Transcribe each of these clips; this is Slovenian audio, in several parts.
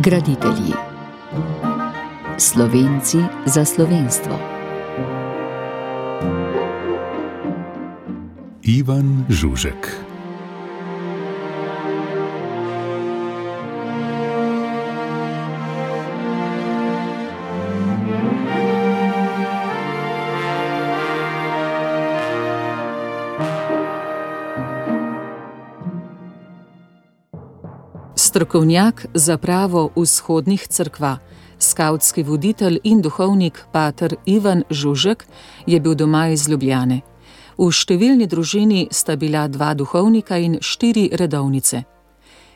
Graditelji. Slovenci za slovenstvo. Ivan Žužek. Strokovnjak za pravo vzhodnih cerkva, skavtski voditelj in duhovnik pater Ivan Žužek je bil doma iz Ljubljane. V številni družini sta bila 2 duhovnika in 4 redovnice.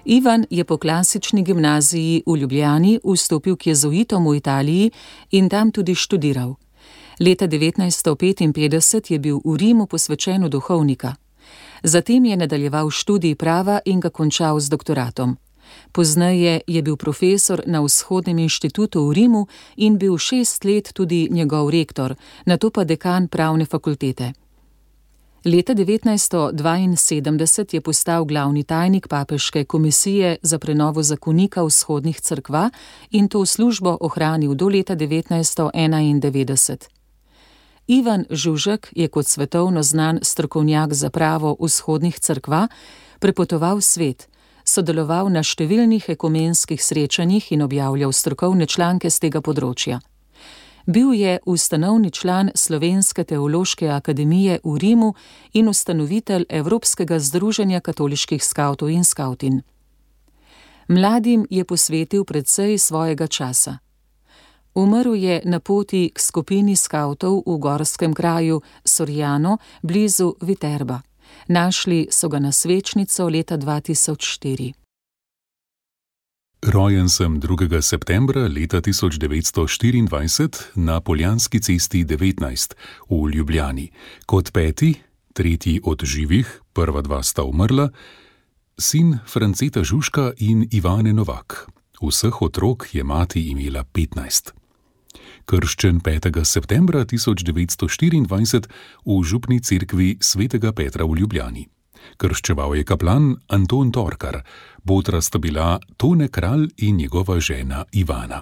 Ivan je po klasični gimnaziji v Ljubljani vstopil k jezuitom v Italiji in tam tudi študiral. Leta 1955 je bil v Rimu posvečen v duhovnika. Zatem je nadaljeval študij prava in ga končal z doktoratom. Pozneje je bil profesor na Vzhodnem inštitutu v Rimu in bil 6 let tudi njegov rektor, nato pa dekan pravne fakultete. Leta 1972 je postal glavni tajnik papeške komisije za prenovo zakonika vzhodnih cerkva in to službo ohranil do leta 1991. Ivan Žužek je kot svetovno znan strokovnjak za pravo vzhodnih cerkva prepotoval svet, sodeloval na številnih ekumenskih srečanjih in objavljal strokovne članke z tega področja. Bil je ustanovni član Slovenske teološke akademije v Rimu in ustanovitelj Evropskega združenja katoliških skavtov in skavtin. Mladim je posvetil precej svojega časa. Umrl je na poti k skupini skavtov v gorskem kraju Soriano blizu Viterba. Našli so ga na svečnico leta 2004. Rojen sem 2. septembra leta 1924 na Poljanski cesti 19 v Ljubljani. Kot 5., 3. od živih, prva 2 sta umrla, sin Franceta Žužka in Ivane Novak. Vseh otrok je mati imela 15. Krščen 5. septembra 1924 v župni cerkvi svetega Petra v Ljubljani. Krščeval je kaplan Anton Torkar, botra sta bila Tone Kralj in njegova žena Ivana.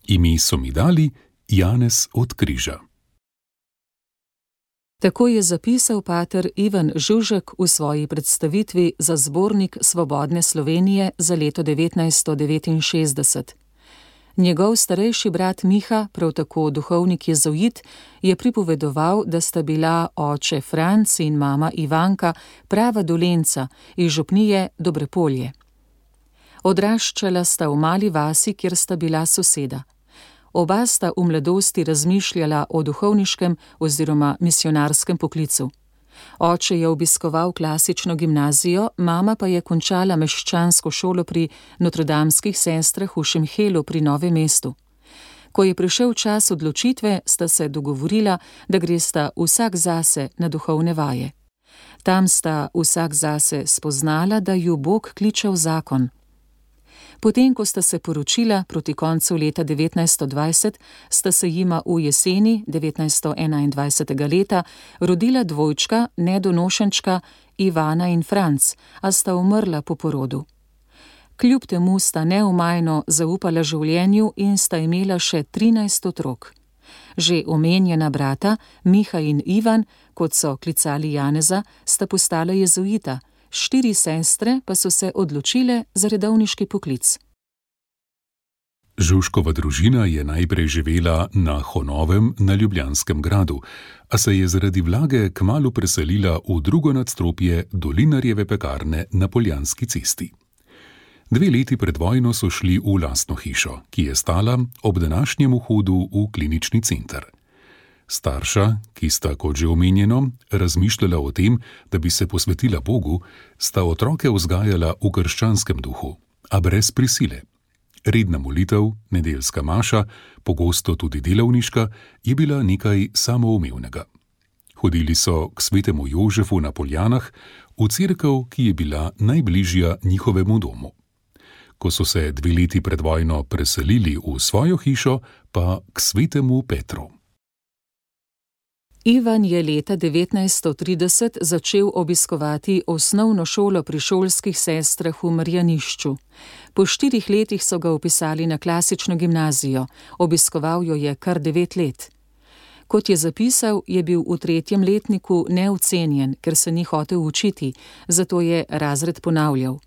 Ime so mi dali Janez od Križa. Tako je zapisal pater Ivan Žužek v svoji predstavitvi za zbornik Svobodne Slovenije za leto 1969. Njegov starejši brat Miha, prav tako duhovnik jezuit, je pripovedoval, da sta bila oče Franc in mama Ivanka prava Dolenca iz župnije Dobrepolje. Odraščala sta v mali vasi, kjer sta bila soseda. Oba sta v mladosti razmišljala o duhovniškem oziroma misionarskem poklicu. Oče je obiskoval klasično gimnazijo, mama pa je končala meščansko šolo pri notredamskih sestrah v Šemhelu pri Novem mestu. Ko je prišel čas odločitve, sta se dogovorila, da gresta vsak zase na duhovne vaje. Tam sta vsak zase spoznala, da ju Bog kliče v zakon. Potem, ko sta se poročila proti koncu leta 1920, sta se jima v jeseni 1921. leta rodila dvojčka, nedonošenčka Ivana in Franc, a sta umrla po porodu. Kljub temu sta neomajno zaupala življenju in sta imela še 13 otrok. Že omenjena brata, Miha in Ivan, kot so klicali Janeza, sta postala jezuita, 4 sestre pa so se odločile za redovniški poklic. Žužkova družina je najprej živela na Honovem na Ljubljanskem gradu, a se je zaradi vlage kmalu preselila v drugo nadstropje Dolinarjeve pekarne na Poljanski cesti. 2 leti pred vojno so šli v lastno hišo, ki je stala ob današnjem vhodu v klinični center. Starša, ki sta, kot že omenjeno, razmišljala o tem, da bi se posvetila Bogu, sta otroke vzgajala v krščanskem duhu, a brez prisile. Redna molitev, nedeljska maša, pogosto tudi delavniška, je bila nekaj samoumevnega. Hodili so k svetemu Jožefu na Poljanah, v cerkev, ki je bila najbližja njihovemu domu. Ko so se 2 leti pred vojno preselili v svojo hišo, pa k svetemu Petru. Ivan je leta 1930 začel obiskovati osnovno šolo pri šolskih sestrah v Marjanišču. Po 4 letih so ga vpisali na klasično gimnazijo, obiskoval jo je kar 9 let. Kot je zapisal, je bil v 3. letniku neocenjen, ker se ni hotel učiti, zato je razred ponavljal.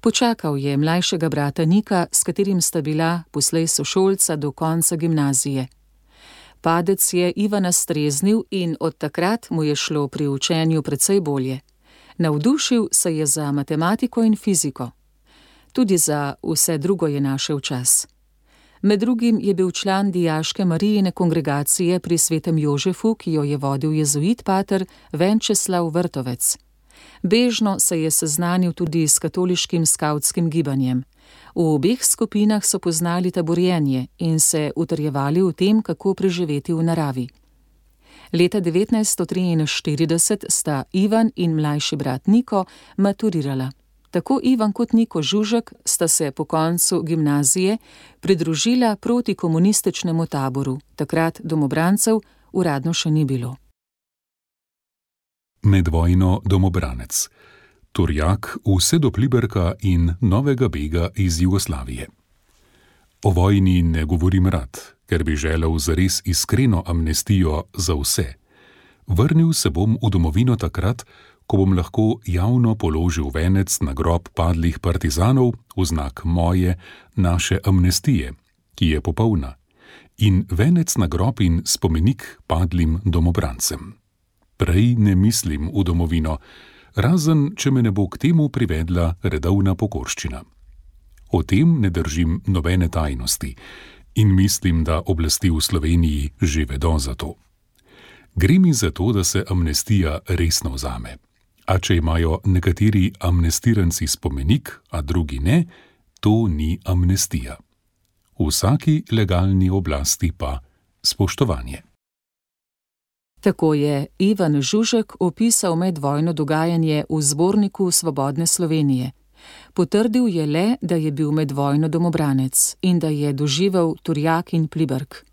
Počakal je mlajšega brata Nika, s katerim sta bila poslej sošolca do konca gimnazije. Padec je Ivana streznil in od takrat mu je šlo pri učenju precej bolje. Navdušil se je za matematiko in fiziko. Tudi za vse drugo je našel čas. Med drugim je bil član dijaške Marijine kongregacije pri Svetem Jožefu, ki jo je vodil jezuit pater Venčeslav Vrtovec. Bežno se je seznanil tudi s katoliškim skavtskim gibanjem. V obeh skupinah so poznali taborjenje in se utrjevali v tem, kako preživeti v naravi. Leta 1943 sta Ivan in mlajši brat Niko maturirala. Tako Ivan kot Niko Žužek sta se po koncu gimnazije pridružila protikomunističnemu taboru. Takrat domobrancev uradno še ni bilo. Med vojno domobranec. Turjak vse do Pliberka in novega bega iz Jugoslavije. O vojni ne govorim rad, ker bi želel zares iskreno amnestijo za vse. Vrnil se bom v domovino takrat, ko bom lahko javno položil venec na grob padlih partizanov v znak moje, naše amnestije, ki je popolna, in venec na grob in spomenik padlim domobrancem. Prej ne mislim v domovino, razen če me ne bo k temu privedla redovna pokorščina. O tem ne držim nobene tajnosti in mislim, da oblasti v Sloveniji že vedo za to. Gre mi za to, da se amnestija resno vzame. A če imajo nekateri amnestiranci spomenik, a drugi ne, to ni amnestija. Vsaki legalni oblasti pa spoštovanje. Tako je Ivan Žužek opisal medvojno dogajanje v zborniku Svobodne Slovenije. Potrdil je le, da je bil medvojno domobranec in da je doživel Turjak in Pliberk.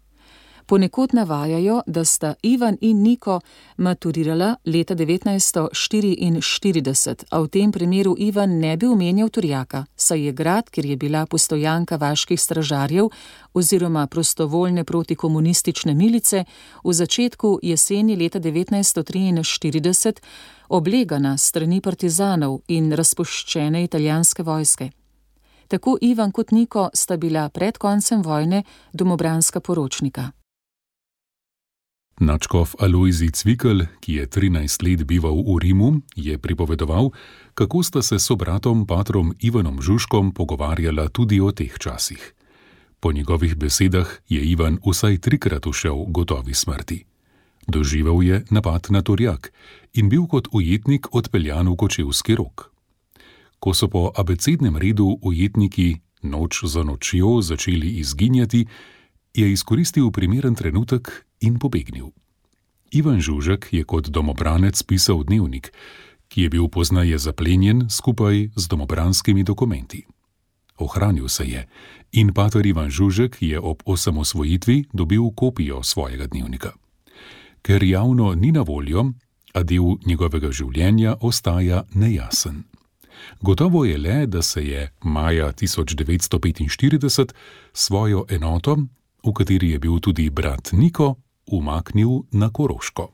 Ponekod navajajo, da sta Ivan in Niko maturirala leta 1944, a v tem primeru Ivan ne bi omenjal Turjaka, saj je grad, kjer je bila postojanka vaških stražarjev oziroma prostovoljne protikomunistične milice, v začetku jeseni leta 1943 oblegana strani partizanov in razpuščene italijanske vojske. Tako Ivan kot Niko sta bila pred koncem vojne domobranska poročnika. Nadškof Alojzij Cvikl, ki je 13 let bival v Rimu, je pripovedoval, kako sta se s sobratom patrom Ivanom Žužkom pogovarjala tudi o teh časih. Po njegovih besedah je Ivan vsaj 3-krat ušel gotovi smrti. Doživel je napad na Turjak in bil kot ujetnik odpeljan v Kočevski Rog. Ko so po abecednem redu ujetniki noč za nočjo začeli izginjati, je izkoristil primeren trenutek in pobegnil. Ivan Žužek je kot domobranec pisal dnevnik, ki je bil poznaje zaplenjen skupaj z domobranskimi dokumenti. Ohranil se je in pater Ivan Žužek je ob osamosvojitvi dobil kopijo svojega dnevnika. Ker javno ni na voljo, a del njegovega življenja ostaja nejasen. Gotovo je le, da se je maja 1945 svojo enoto, v kateri je bil tudi brat Niko, umaknil na Koroško.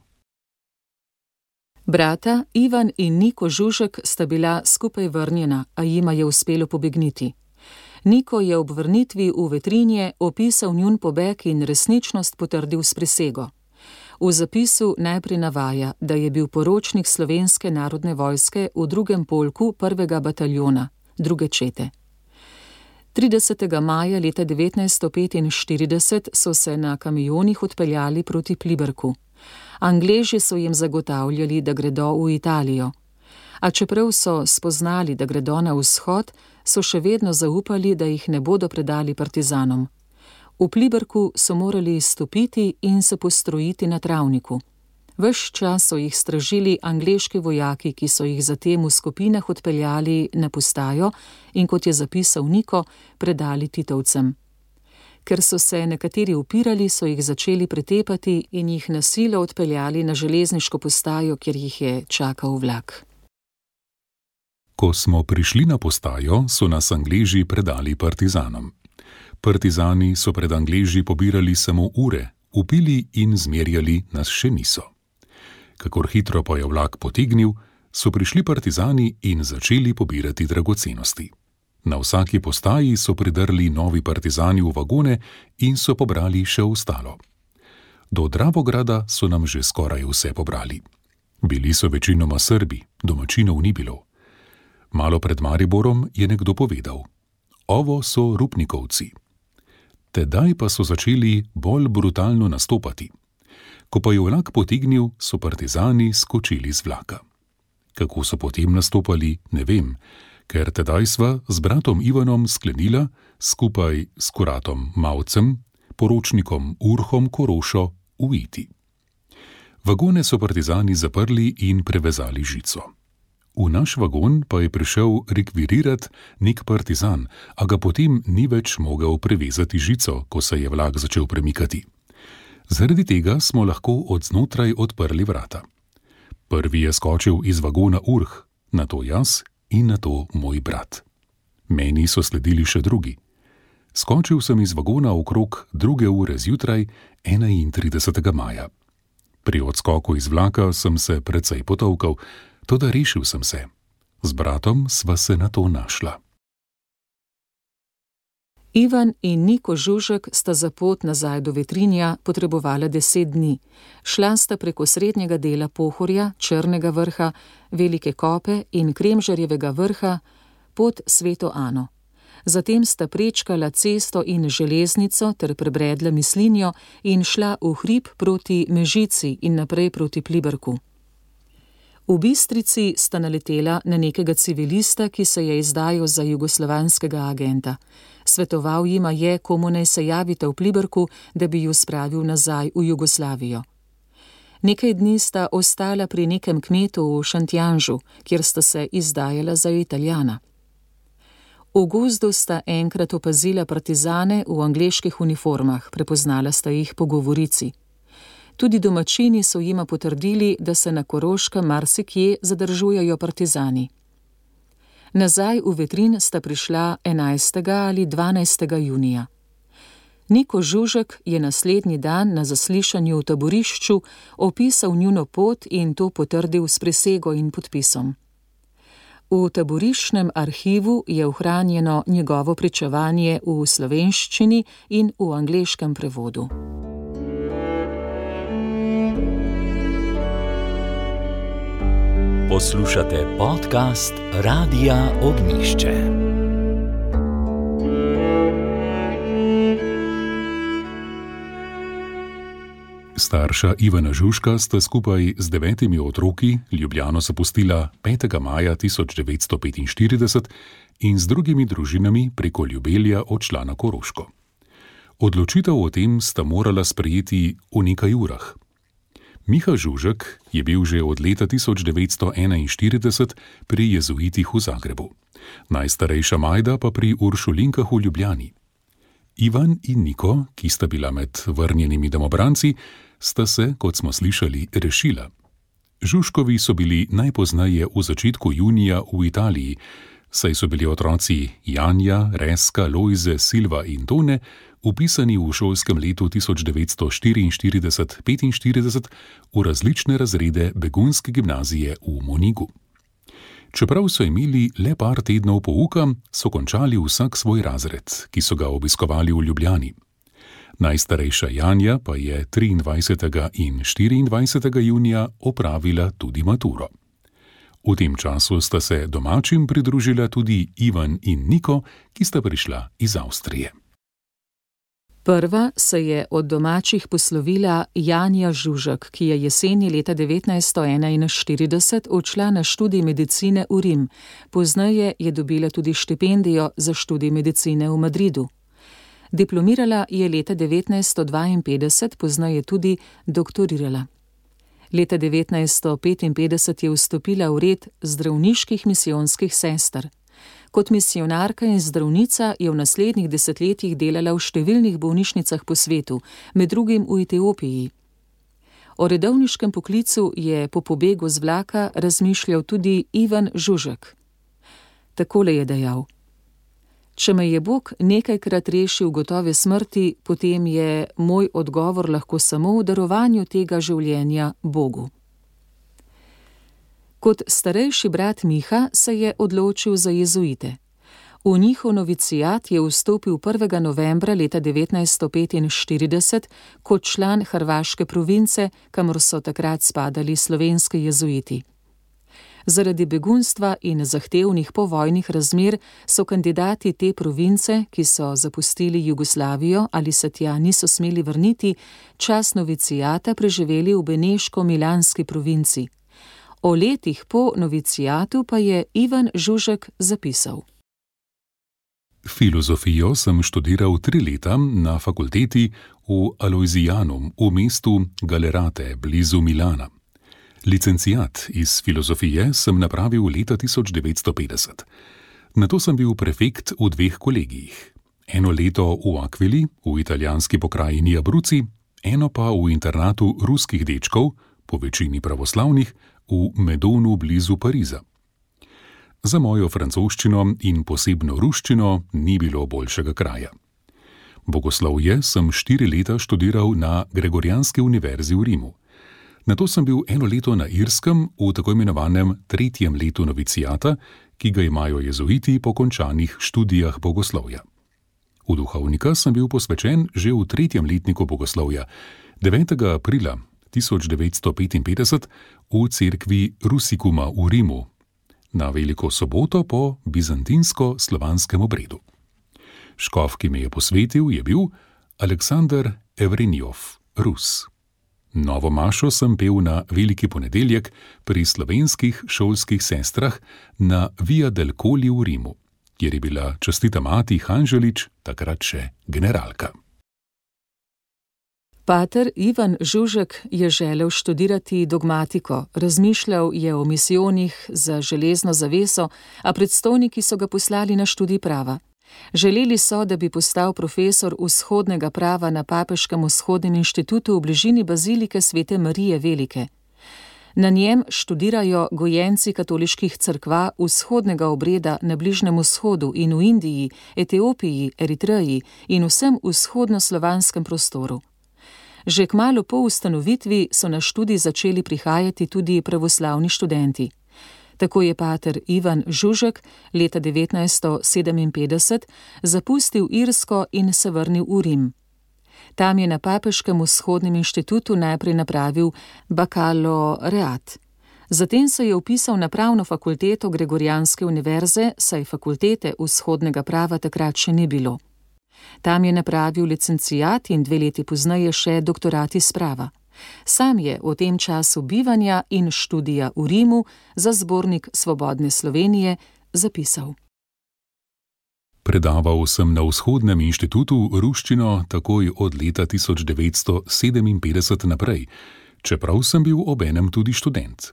Brata Ivan in Niko Žužek sta bila skupaj vrnjena, a jima je uspelo pobegniti. Niko je ob vrnitvi v Vetrinje opisal njun pobeg in resničnost potrdil s prisego. V zapisu najprej navaja, da je bil poročnik Slovenske narodne vojske v 2. polku 1. bataljona, 2. čete. 30. maja leta 1945 so se na kamionih odpeljali proti Pliberku. Angleži so jim zagotavljali, da gredo v Italijo. A čeprav so spoznali, da gredo na vzhod, so še vedno zaupali, da jih ne bodo predali partizanom. V Pliberku so morali izstopiti in se postrojiti na travniku. Ves čas so jih stražili angleški vojaki, ki so jih zatem v skupinah odpeljali na postajo in, kot je zapisal Niko, predali titovcem. Ker so se nekateri upirali, so jih začeli pretepati in jih na silo odpeljali na železniško postajo, kjer jih je čakal vlak. Ko smo prišli na postajo, so nas Angleži predali partizanom. Partizani so pred Angleži pobirali samo ure, upili in zmerjali nas še niso. Kakor hitro pa je vlak potegnil, so prišli partizani in začeli pobirati dragocenosti. Na vsaki postaji so pridrli novi partizani v vagone in so pobrali še ostalo. Do Dravograda so nam že skoraj vse pobrali. Bili so večinoma Srbi, domačinov ni bilo. Malo pred Mariborom je nekdo povedal: ovo so Rupnikovci. Tedaj pa so začeli bolj brutalno nastopati. Ko pa je vlak potegnil, so partizani skočili z vlaka. Kako so potem nastopali, ne vem, ker tedaj sva z bratom Ivanom sklenila, skupaj s kuratom Mavcem, poročnikom Urhom Korošo, uiti. Vagone so partizani zaprli in prevezali žico. V naš vagon pa je prišel rekvirirat nek partizan, a ga potem ni več mogel prevezati žico, ko se je vlak začel premikati. Zaradi tega smo lahko od znotraj odprli vrata. Prvi je skočil iz vagona Urh, nato jaz in nato moj brat. Meni so sledili še drugi. Skočil sem iz vagona okrog 2 ure zjutraj 31. maja. Pri odskoku iz vlaka sem se precej potolkal, toda rešil sem se. Z bratom sva se nato našla. Ivan in Niko Žužek sta za pot nazaj do Vetrinja potrebovala 10 dni. Šla sta preko srednjega dela Pohorja, Črnega vrha, Velike Kope in Kremžarjevega vrha pod Sveto Ano. Zatem sta prečkala cesto in železnico ter prebredla Mislinjo in šla v hrib proti Mežici in naprej proti Pliberku. V Bistrici sta naletela na nekega civilista, ki se je izdajal za jugoslovanskega agenta. Svetoval jima je, komu naj se javite v Pliberku, da bi ju spravil nazaj v Jugoslavijo. Nekaj dni sta ostala pri nekem kmetu v Šentjanžu, kjer sta se izdajala za Italijana. V gozdu sta enkrat opazila partizane v angleških uniformah, prepoznala sta jih po govorici. Tudi domačini so jima potrdili, da se na Koroškem marsikje zadržujejo partizani. Nazaj v Vetrin sta prišla 11. ali 12. junija. Niko Žužek je naslednji dan na zaslišanju v taborišču opisal njuno pot in to potrdil s prisego in podpisom. V taboriščnem arhivu je ohranjeno njegovo pričevanje v slovenščini in v angleškem prevodu. Poslušate podcast Radia Ognjišče. Starša Ivana Žužka sta skupaj z 9 otroki Ljubljano zapustila 5. maja 1945 in z drugimi družinami preko Ljubelja odšla na Koroško. Odločitev o tem sta morala sprejeti v nekaj urah. Miha Žužek je bil že od leta 1941 pri jezuitih v Zagrebu, najstarejša Majda pa pri Uršulinkah v Ljubljani. Ivan in Niko, ki sta bila med vrnjenimi domobranci, sta se, kot smo slišali, rešila. Žužkovi so bili najpozneje v začetku junija v Italiji, saj so bili otroci Janja, Reska, Lojze, Silva in Tone vpisani v šolskem letu 1944-45 v različne razrede begunske gimnazije v Monigu. Čeprav so imeli le par tednov pouka, so končali vsak svoj razred, ki so ga obiskovali v Ljubljani. Najstarejša Janja pa je 23. in 24. junija opravila tudi maturo. V tem času sta se domačim pridružila tudi Ivan in Niko, ki sta prišla iz Avstrije. Prva se je od domačih poslovila Janja Žužek, ki je jeseni leta 1941 odšla na študij medicine v Rim. Pozneje je dobila tudi štipendijo za študij medicine v Madridu. Diplomirala je leta 1952, pozneje tudi doktorirala. Leta 1955 je vstopila v red zdravniških misijonskih sester. Kot misionarka in zdravnica je v naslednjih desetletjih delala v številnih bolnišnicah po svetu, med drugim v Etiopiji. O redovniškem poklicu je po pobegu z vlaka razmišljal tudi Ivan Žužek. Takole je dejal: Če me je Bog nekajkrat rešil gotove smrti, potem je moj odgovor lahko samo v darovanju tega življenja Bogu. Kot starejši brat Miha se je odločil za jezuite. V njihov novicijat je vstopil 1. novembra leta 1945 kot član hrvaške province, kamor so takrat spadali slovenski jezuiti. Zaradi begunstva in zahtevnih povojnih razmer so kandidati te province, ki so zapustili Jugoslavijo ali se tja niso smeli vrniti, čas novicijata preživeli v beneško-milanski provinci. O letih po novicijatu pa je Ivan Žužek zapisal: Filozofijo sem študiral 3 leta na fakulteti v Alojzijanum v mestu Galerate blizu Milana. Licenciat iz filozofije sem napravil leta 1950. Nato sem bil prefekt v 2 kolegijih. 1 leto v Aquili, v italijanski pokrajini Abruzzi, 1 pa v internatu ruskih dečkov, po večini pravoslavnih, v Medonu blizu Pariza. Za mojo francoščino in posebno ruščino ni bilo boljšega kraja. Bogoslovje sem 4 leta študiral na Gregorijanski univerzi v Rimu. Nato sem bil 1 leto na Irskem v tako imenovanem 3. letu novicijata, ki ga imajo jezuiti po končanih študijah bogoslovja. V duhovnika sem bil posvečen že v 3. letniku bogoslovja, 9. aprila 1955 v cerkvi Rusikuma v Rimu, na veliko soboto po bizantinsko-slovanskem obredu. Škof, ki me je posvetil, je bil Aleksandar Evrenjov, Rus. Novo mašo sem pel na veliki ponedeljek pri slovenskih šolskih sestrah na Via del Colli v Rimu, kjer je bila častita mati Hanželič, takrat še generalka. Pater Ivan Žužek je želel študirati dogmatiko, razmišljal je o misijonih za železno zaveso, a predstojniki so ga poslali na študij prava. Želeli so, da bi postal profesor vzhodnega prava na Papeškem vzhodnem inštitutu v bližini bazilike Svete Marije Velike. Na njem študirajo gojenci katoliških cerkva vzhodnega obreda na Bližnjem vzhodu in v Indiji, Etiopiji, Eritreji in vsem vzhodnoslovanskem prostoru. Že kmalu po ustanovitvi so na študij začeli prihajati tudi pravoslavni študenti. Tako je pater Ivan Žužek leta 1957 zapustil Irsko in se vrnil v Rim. Tam je na Papeškem vzhodnem inštitutu najprej napravil bakaloreat. Zatem se je vpisal na pravno fakulteto Gregorijanske univerze, saj fakultete vzhodnega prava takrat še ni bilo. Tam je napravil licenciat in 2 leti pozneje še doktorat iz prava. Sam je v tem času bivanja in študija v Rimu za zbornik Svobodne Slovenije zapisal: Predaval sem na vzhodnem inštitutu ruščino takoj od leta 1957 naprej, čeprav sem bil obenem tudi študent.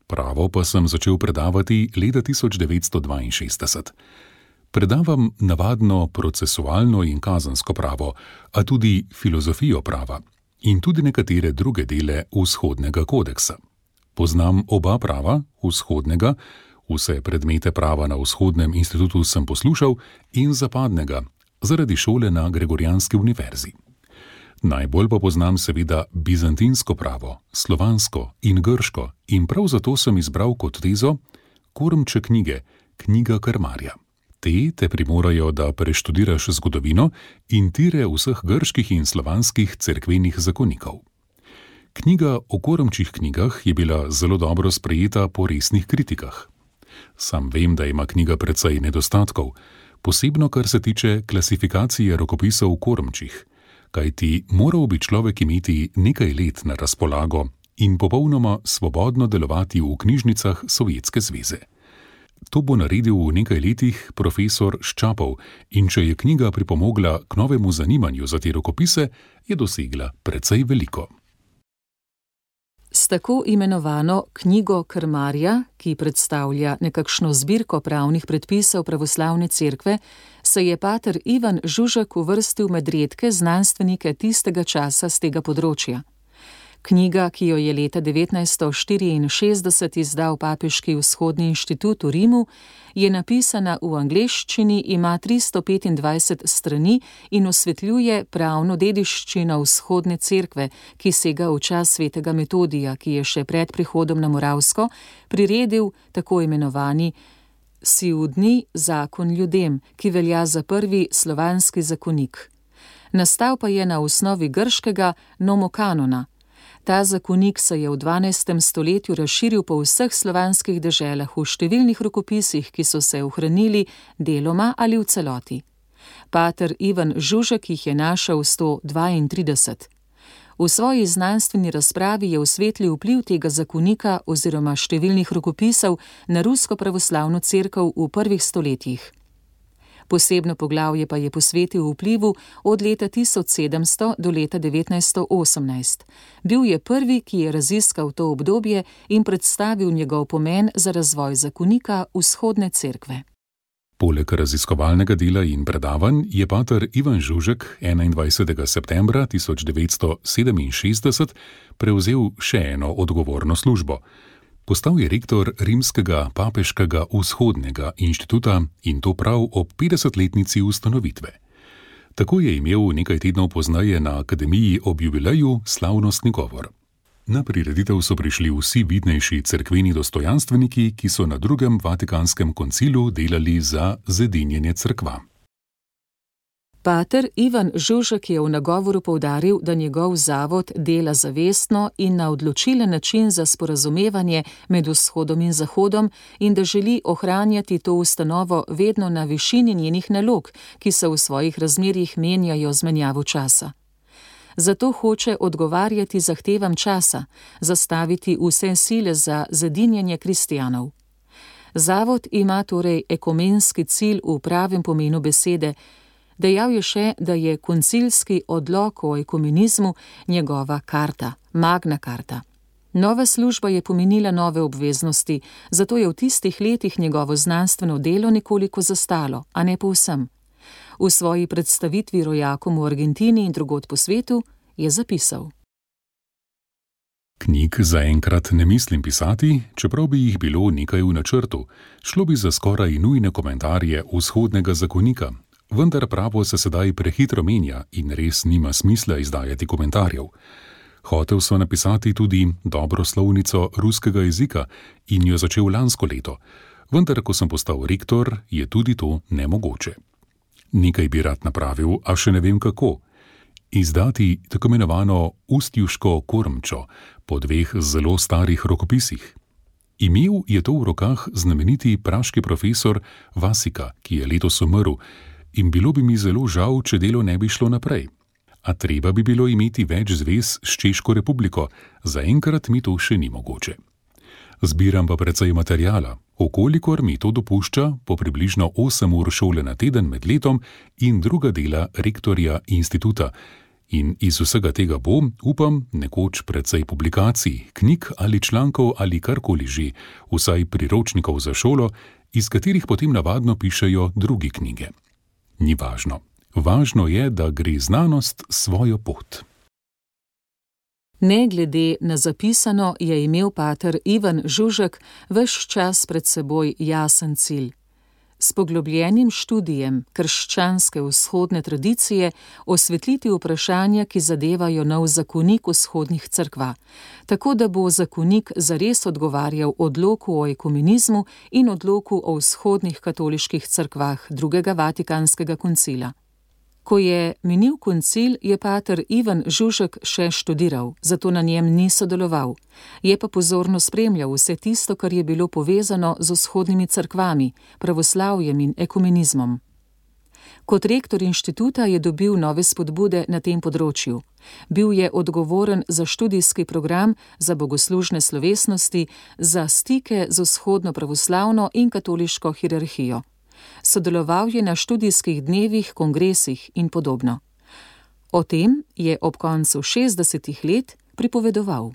Pravo pa sem začel predavati leta 1962. Predavam navadno procesualno in kazensko pravo, a tudi filozofijo prava in tudi nekatere druge dele vzhodnega kodeksa. Poznam oba prava, vzhodnega, vse predmete prava na vzhodnem inštitutu sem poslušal, in zapadnega, zaradi šole na Gregorijanski univerzi. Najbolj pa poznam seveda bizantinsko pravo, slovansko in grško, in prav zato sem izbral kot tezo Kormče knjige, knjiga krmarja. Te primorajo, da preštudiraš zgodovino in tire vseh grških in slovanskih cerkvenih zakonikov. Knjiga o Kormčih knjigah je bila zelo dobro sprejeta po resnih kritikah. Sam vem, da ima knjiga precej nedostatkov, posebno kar se tiče klasifikacije rokopisov v Kormčih, kajti moral bi človek imeti nekaj let na razpolago in popolnoma svobodno delovati v knjižnicah Sovjetske zveze. To bo naredil v nekaj letih profesor Ščapov, in če je knjiga pripomogla k novemu zanimanju za te rokopise, je dosegla precej veliko. S tako imenovano knjigo krmarja, ki predstavlja nekakšno zbirko pravnih predpisov pravoslavne cerkve, se je pater Ivan Žužek uvrstil med redke znanstvenike tistega časa z tega področja. Knjiga, ki jo je leta 1964 izdal Papeški vzhodni inštitut v Rimu, je napisana v angleščini, ima 325 strani in osvetljuje pravno dediščino vzhodne cerkve, ki sega v čas svetega Metodija, ki je še pred prihodom na Moravsko priredil tako imenovani Siudni zakon ljudem, ki velja za prvi slovanski zakonik. Nastal pa je na osnovi grškega nomokanona. Ta zakonik se je v 12. stoletju razširil po vseh slovanskih deželah v številnih rokopisih, ki so se ohranili deloma ali v celoti. Pater Ivan Žužek jih je našel 132. V svoji znanstveni razpravi je osvetlil vpliv tega zakonika oziroma številnih rokopisov na rusko pravoslavno cerkev v prvih stoletjih. Posebno poglavje pa je posvetil vplivu od leta 1700 do leta 1918. Bil je prvi, ki je raziskal to obdobje in predstavil njegov pomen za razvoj zakonika vzhodne cerkve. Poleg raziskovalnega dela in predavanj je pater Ivan Žužek 21. septembra 1967 prevzel še eno odgovorno službo. Postal je rektor Rimskega papeškega vzhodnega inštituta in to prav ob 50-letnici ustanovitve. Tako je imel nekaj tednov pozneje na akademiji ob jubileju slavnostni govor. Na prireditev so prišli vsi vidnejši cerkveni dostojanstveniki, ki so na drugem Vatikanskem koncilu delali za zedinjenje cerkva. Pater Ivan Žužek je v nagovoru poudaril, da njegov zavod dela zavestno in na odločilen način za sporazumevanje med vzhodom in zahodom in da želi ohranjati to ustanovo vedno na višini njenih nalog, ki se v svojih razmerjih menjajo z menjavo časa. Zato hoče odgovarjati zahtevam časa, zastaviti vse sile za zedinjenje kristjanov. Zavod ima torej ekumenski cilj v pravem pomenu besede. Dejal je še, da je koncilski odlok o ekumenizmu njegova karta, magna karta. Nova služba je pomenila nove obveznosti, zato je v tistih letih njegovo znanstveno delo nekoliko zastalo, a ne povsem. V svoji predstavitvi rojakom v Argentini in drugod po svetu je zapisal: Knjig zaenkrat ne mislim pisati, čeprav bi jih bilo nekaj v načrtu. Šlo bi za skoraj nujne komentarje vzhodnega zakonika. Vendar pravo se sedaj prehitro menja in res nima smisla izdajati komentarjev. Hotel sem napisati tudi dobro slovnico ruskega jezika in jo začel lansko leto, vendar ko sem postal rektor, je tudi to nemogoče. Nekaj bi rad napravil, a še ne vem kako. Izdati tako imenovano ustjuško kormčo po dveh zelo starih rokopisih. Imel je to v rokah znameniti praški profesor Vasika, ki je letos umrl, in bilo bi mi zelo žal, če delo ne bi šlo naprej. A treba bi bilo imeti več zvez s Češko republiko, zaenkrat mi to še ni mogoče. Zbiram pa precej materijala, okolikor mi to dopušča, po približno 8 ur šole na teden med letom in druga dela rektorja instituta. In iz vsega tega bo, upam, nekoč precej publikacij, knjig ali člankov ali karkoli že, vsaj priročnikov za šolo, iz katerih potem navadno pišejo drugi knjige. Ni važno. Važno je, da gre znanost svojo pot. Ne glede na zapisano je imel pater Ivan Žužek ves čas pred seboj jasen cilj. S poglobljenim študijem krščanske vzhodne tradicije osvetliti vprašanja, ki zadevajo nov zakonik vzhodnih cerkva, tako da bo zakonik zares odgovarjal odloku o ekumenizmu in odloku o vzhodnih katoliških cerkvah drugega Vatikanskega koncila. Ko je minil koncil, je pater Ivan Žužek še študiral, zato na njem ni sodeloval. Je pa pozorno spremljal vse tisto, kar je bilo povezano z vzhodnimi cerkvami, pravoslavjem in ekumenizmom. Kot rektor inštituta je dobil nove spodbude na tem področju. Bil je odgovoren za študijski program, za bogoslužne slovesnosti, za stike z vzhodno pravoslavno in katoliško hierarhijo. Sodeloval je na študijskih dnevih, kongresih in podobno. O tem je ob koncu 60 let pripovedoval.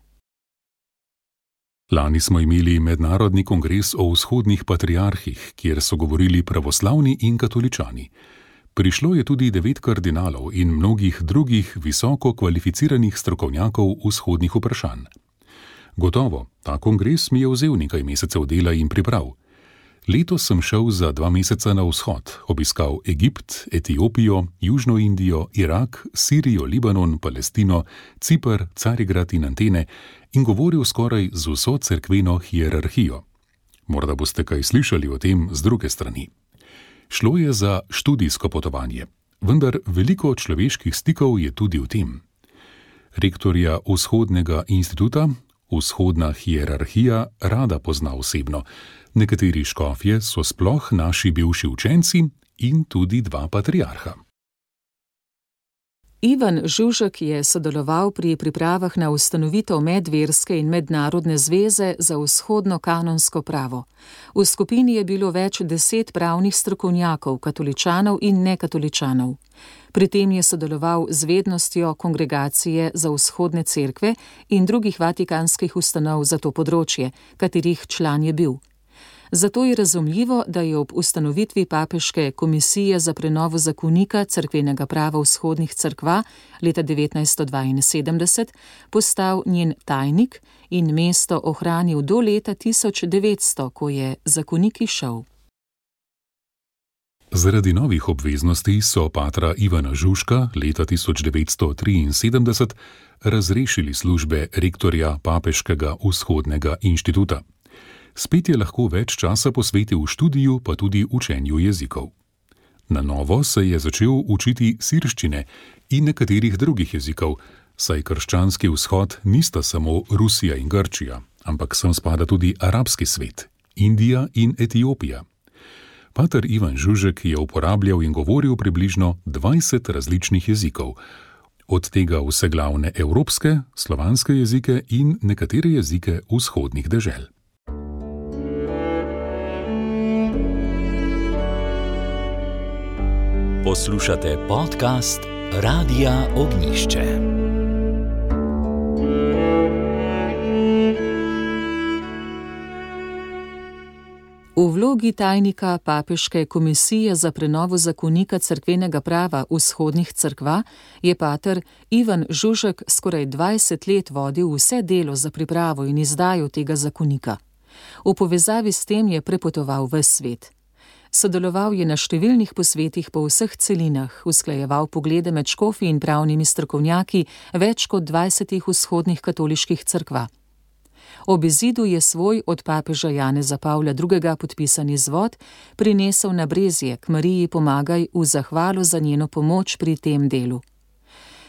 Lani smo imeli mednarodni kongres o vzhodnih patriarhih, kjer so govorili pravoslavni in katoličani. Prišlo je tudi 9 kardinalov in mnogih drugih visoko kvalificiranih strokovnjakov vzhodnih vprašanj. Gotovo, ta kongres mi je vzel nekaj mesecev dela in priprav. Letos sem šel za 2 meseca na vzhod, obiskal Egipt, Etiopijo, Južno Indijo, Irak, Sirijo, Libanon, Palestino, Ciper, Carigrad in Atene in govoril skoraj z vso cerkveno hierarhijo. Morda boste kaj slišali o tem z druge strani. Šlo je za študijsko potovanje, vendar veliko človeških stikov je tudi v tem. Rektorja Vzhodnega instituta, Vzhodna hierarhija, rada pozna osebno. Nekateri škofje so sploh naši bivši učenci in tudi 2 patriarha. Ivan Žužek je sodeloval pri pripravah na ustanovitev medverske in mednarodne zveze za vzhodno kanonsko pravo. V skupini je bilo več 10 pravnih strokovnjakov, katoličanov in nekatoličanov. Pri tem je sodeloval z vednostjo Kongregacije za vzhodne cerkve in drugih vatikanskih ustanov za to področje, katerih član je bil. Zato je razumljivo, da je ob ustanovitvi Papeške komisije za prenovo zakonika cerkvenega prava vzhodnih cerkva leta 1972 postal njen tajnik in mesto ohranil do leta 1900, ko je zakonik izšel. Zaradi novih obveznosti so patra Ivana Žužka leta 1973 razrešili službe rektorja Papeškega vzhodnega inštituta. Spet je lahko več časa posvetil študiju, pa tudi učenju jezikov. Na novo se je začel učiti sirščine in nekaterih drugih jezikov, saj krščanski vzhod nista samo Rusija in Grčija, ampak sem spada tudi arabski svet, Indija in Etiopija. Pater Ivan Žužek je uporabljal in govoril približno 20 različnih jezikov, od tega vse glavne evropske, slovanske jezike in nekatere jezike vzhodnih dežel. Poslušate podcast Radia Ognišče. V vlogi tajnika Papeške komisije za prenovo zakonika cerkvenega prava vzhodnih cerkva je pater Ivan Žužek skoraj 20 let vodil vse delo za pripravo in izdajo tega zakonika. V povezavi s tem je prepotoval ves svet. Sodeloval je na številnih posvetih po vseh celinah, usklajeval poglede med škofi in pravnimi strokovnjaki več kot 20 vzhodnih katoliških cerkva. Ob izidu je svoj od papeža Janeza Pavla II. Podpisan izvod prinesel na Brezje k Mariji Pomagaj v zahvalo za njeno pomoč pri tem delu.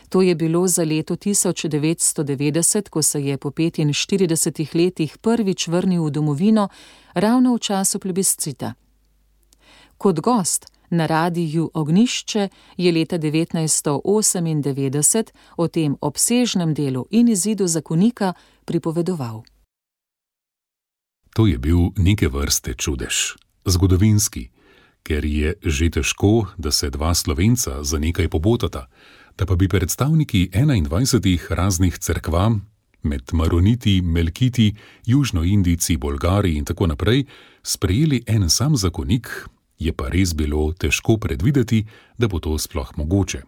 To je bilo za leto 1990, ko se je po 45 letih prvič vrnil v domovino, ravno v času plebiscita. Kot gost na Radiu Ognišče je leta 1998 o tem obsežnem delu in izidu zakonika pripovedoval. To je bil neke vrste čudež, zgodovinski, ker je že težko, da se 2 Slovenca za nekaj pobotata, da pa bi predstavniki 21 raznih cerkva, med Maroniti, Melkiti, Južnoindijci, Bolgari in tako naprej, sprejeli en sam zakonik, je pa res bilo težko predvideti, da bo to sploh mogoče.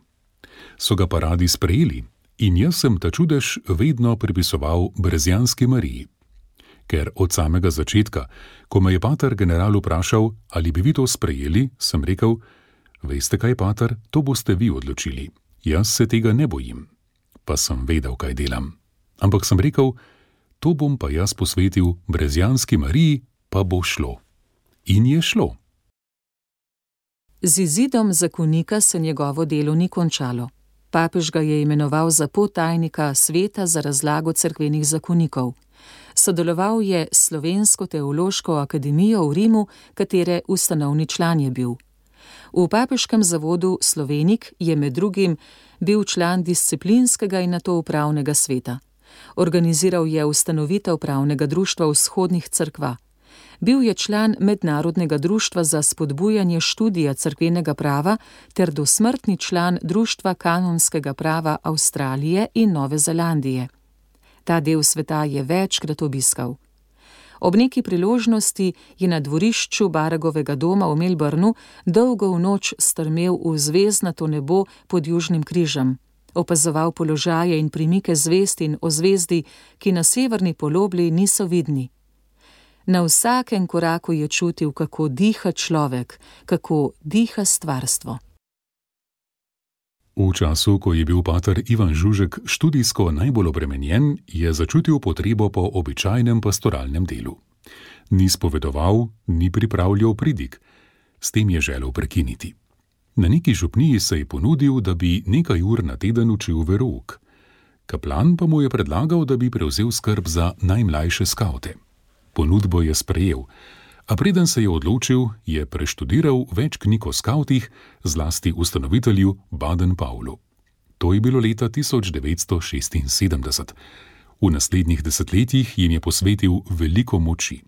So ga pa radi sprejeli in jaz sem ta čudež vedno pripisoval Brezjanski Mariji. Ker od samega začetka, ko me je pater general vprašal, ali bi vi to sprejeli, sem rekel, veste kaj, pater, to boste vi odločili. Jaz se tega ne bojim. Pa sem vedel, kaj delam. Ampak sem rekel, to bom pa jaz posvetil Brezjanski Mariji, pa bo šlo. In je šlo. Z izidom zakonika se njegovo delo ni končalo. Papež ga je imenoval za podtajnika Sveta za razlago cerkvenih zakonikov. Sodeloval je s Slovensko teološko akademijo v Rimu, katere ustanovni član je bil. V papeškem zavodu Slovenik je med drugim bil član disciplinskega in nato upravnega sveta. Organiziral je ustanovitev pravnega društva vzhodnih cerkva. Bil je član Mednarodnega društva za spodbujanje študija cerkvenega prava ter dosmrtni član Društva kanonskega prava Avstralije in Nove Zelandije. Ta del sveta je večkrat obiskal. Ob neki priložnosti je na dvorišču Baragovega doma v Melbournu dolgo v noč strmel v zvezdnato nebo pod Južnim križem. Opazoval položaje in premike zvezd in ozvezdij, ki na severni polobli niso vidni. Na vsakem koraku je čutil, kako diha človek, kako diha stvarstvo. V času, ko je bil pater Ivan Žužek študijsko najbolj obremenjen, je začutil potrebo po običajnem pastoralnem delu. Ni spovedoval, ni pripravljal pridig. S tem je želel prekiniti. Na neki župniji se je ponudil, da bi nekaj ur na teden učil verouk. Kaplan pa mu je predlagal, da bi prevzel skrb za najmlajše skavte. Ponudbo je sprejel, a preden se je odločil, je preštudiral več knjig o skavtih, zlasti ustanovitelju Baden-Powellu. To je bilo leta 1976. V naslednjih desetletjih jim je posvetil veliko moči.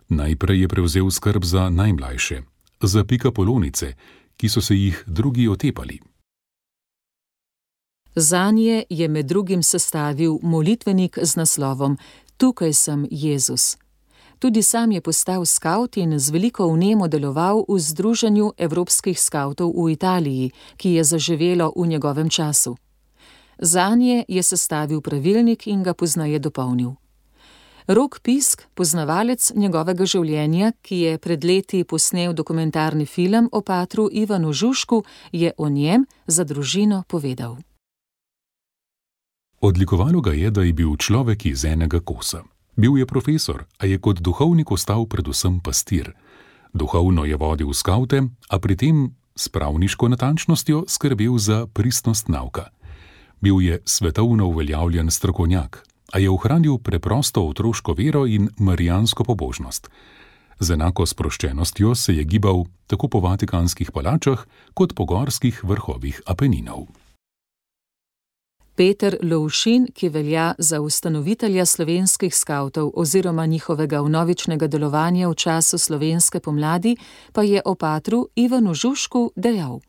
Najprej je prevzel skrb za najmlajše, za pikapolonice, ki so se jih drugi otepali. Zanje je med drugim sestavil molitvenik z naslovom Tukaj sem, Jezus. Tudi sam je postal skavt in z veliko vnemo deloval v Združenju evropskih skavtov v Italiji, ki je zaživelo v njegovem času. Zanje je sestavil pravilnik in ga pozneje dopolnil. Rok Pisk, poznavalec njegovega življenja, ki je pred leti posnel dokumentarni film o patru Ivanu Žužku, je o njem za družino povedal. Odlikovalo ga je, da je bil človek iz enega kosa. Bil je profesor, a je kot duhovnik ostal predvsem pastir. Duhovno je vodil skavte, a pri tem s pravniško natančnostjo skrbel za pristnost nauka. Bil je svetovno uveljavljen strokovnjak, a je ohranil preprosto otroško vero in marijansko pobožnost. Z enako sproščenostjo se je gibal tako po vatikanskih palačah kot po gorskih vrhovih Apeninov. Peter Lovšin, ki velja za ustanovitelja slovenskih skavtov oziroma njihovega vnovičnega delovanja v času slovenske pomladi, pa je o patru Ivanu Žužku dejal.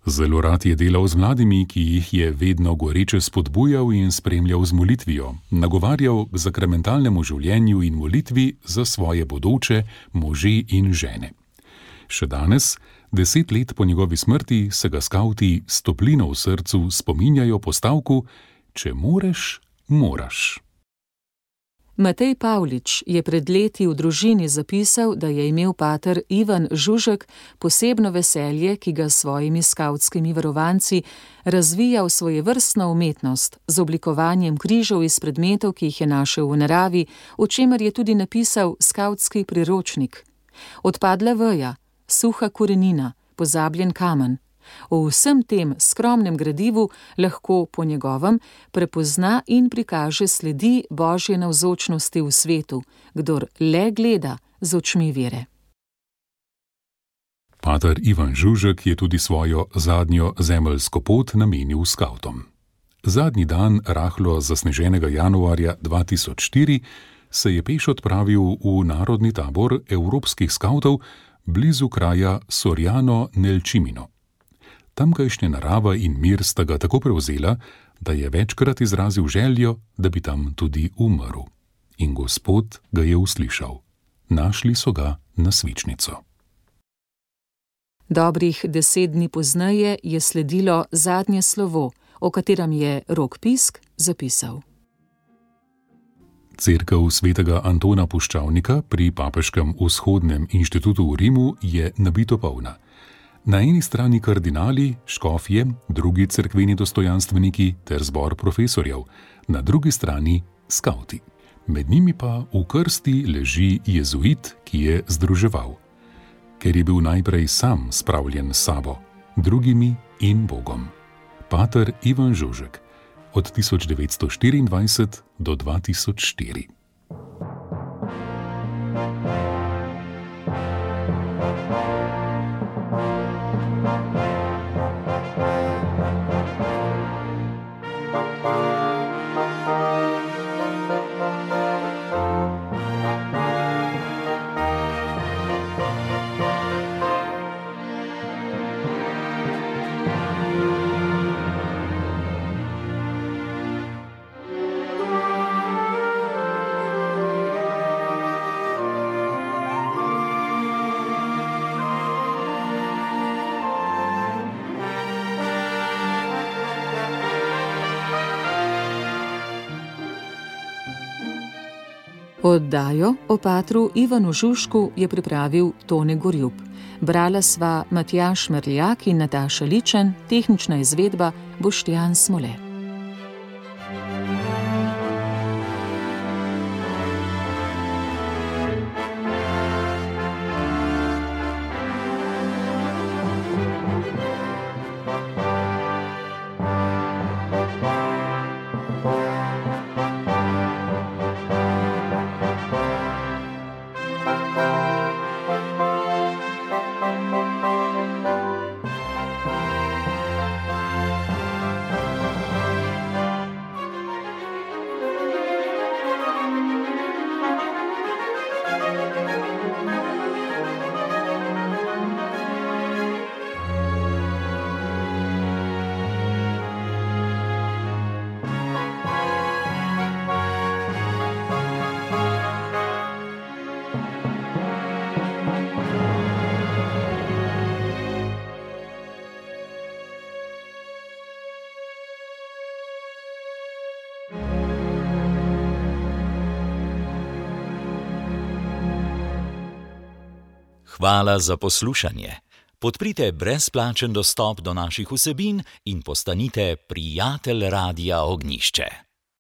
Zelo rad je delal z mladimi, ki jih je vedno goreče spodbujal in spremljal z molitvijo, nagovarjal k sakramentalnemu življenju in molitvi za svoje bodoče može in žene. Še danes, 10 let po njegovi smrti, se ga skavti s toplino v srcu spominjajo po stavku: Če moreš, moraš. Matej Pavlič je pred leti v družini zapisal, da je imel pater Ivan Žužek posebno veselje, ki ga s svojimi skavtskimi varovanci razvija v svojevrstno umetnost z oblikovanjem križev iz predmetov, ki jih je našel v naravi, o čemer je tudi napisal skavtski priročnik. Odpadla veja, suha korenina, pozabljen kamen. O vsem tem skromnem gradivu lahko po njegovem prepozna in prikaže sledi Božje navzočnosti v svetu, kdor le gleda z očmi vere. Pater Ivan Žužek je tudi svojo zadnjo zemeljsko pot namenil skavtom. Zadnji dan rahlo zasneženega januarja 2004 se je peš odpravil v narodni tabor evropskih skavtov blizu kraja Soriano nel Cimino. Tamkajšnja narava in mir sta ga tako prevzela, da je večkrat izrazil željo, da bi tam tudi umrl. In Gospod ga je uslišal. Našli so ga na svičnico. Dobrih 10 dni pozneje je sledilo zadnje slovo, o katerem je Rok Pisk zapisal. Cerkev svetega Antona Puščavnika pri Papeškem vzhodnem inštitutu v Rimu je nabito polna. Na eni strani kardinali, škofje, drugi cerkveni dostojanstveniki ter zbor profesorjev, na drugi strani skavti. Med njimi pa v krsti leži jezuit, ki je združeval. Ker je bil najprej sam spravljen s sabo, drugimi in Bogom. Pater Ivan Žužek, od 1924 do 2004. Oddajo o patru Ivanu Žužku je pripravil Tone Gorjup. Brala sva Matjaž Merljak in Nataša Ličen, tehnična izvedba Boštjan Smole. Hvala za poslušanje. Podprite brezplačen dostop do naših vsebin in postanite prijatelj Radia Ognjišče.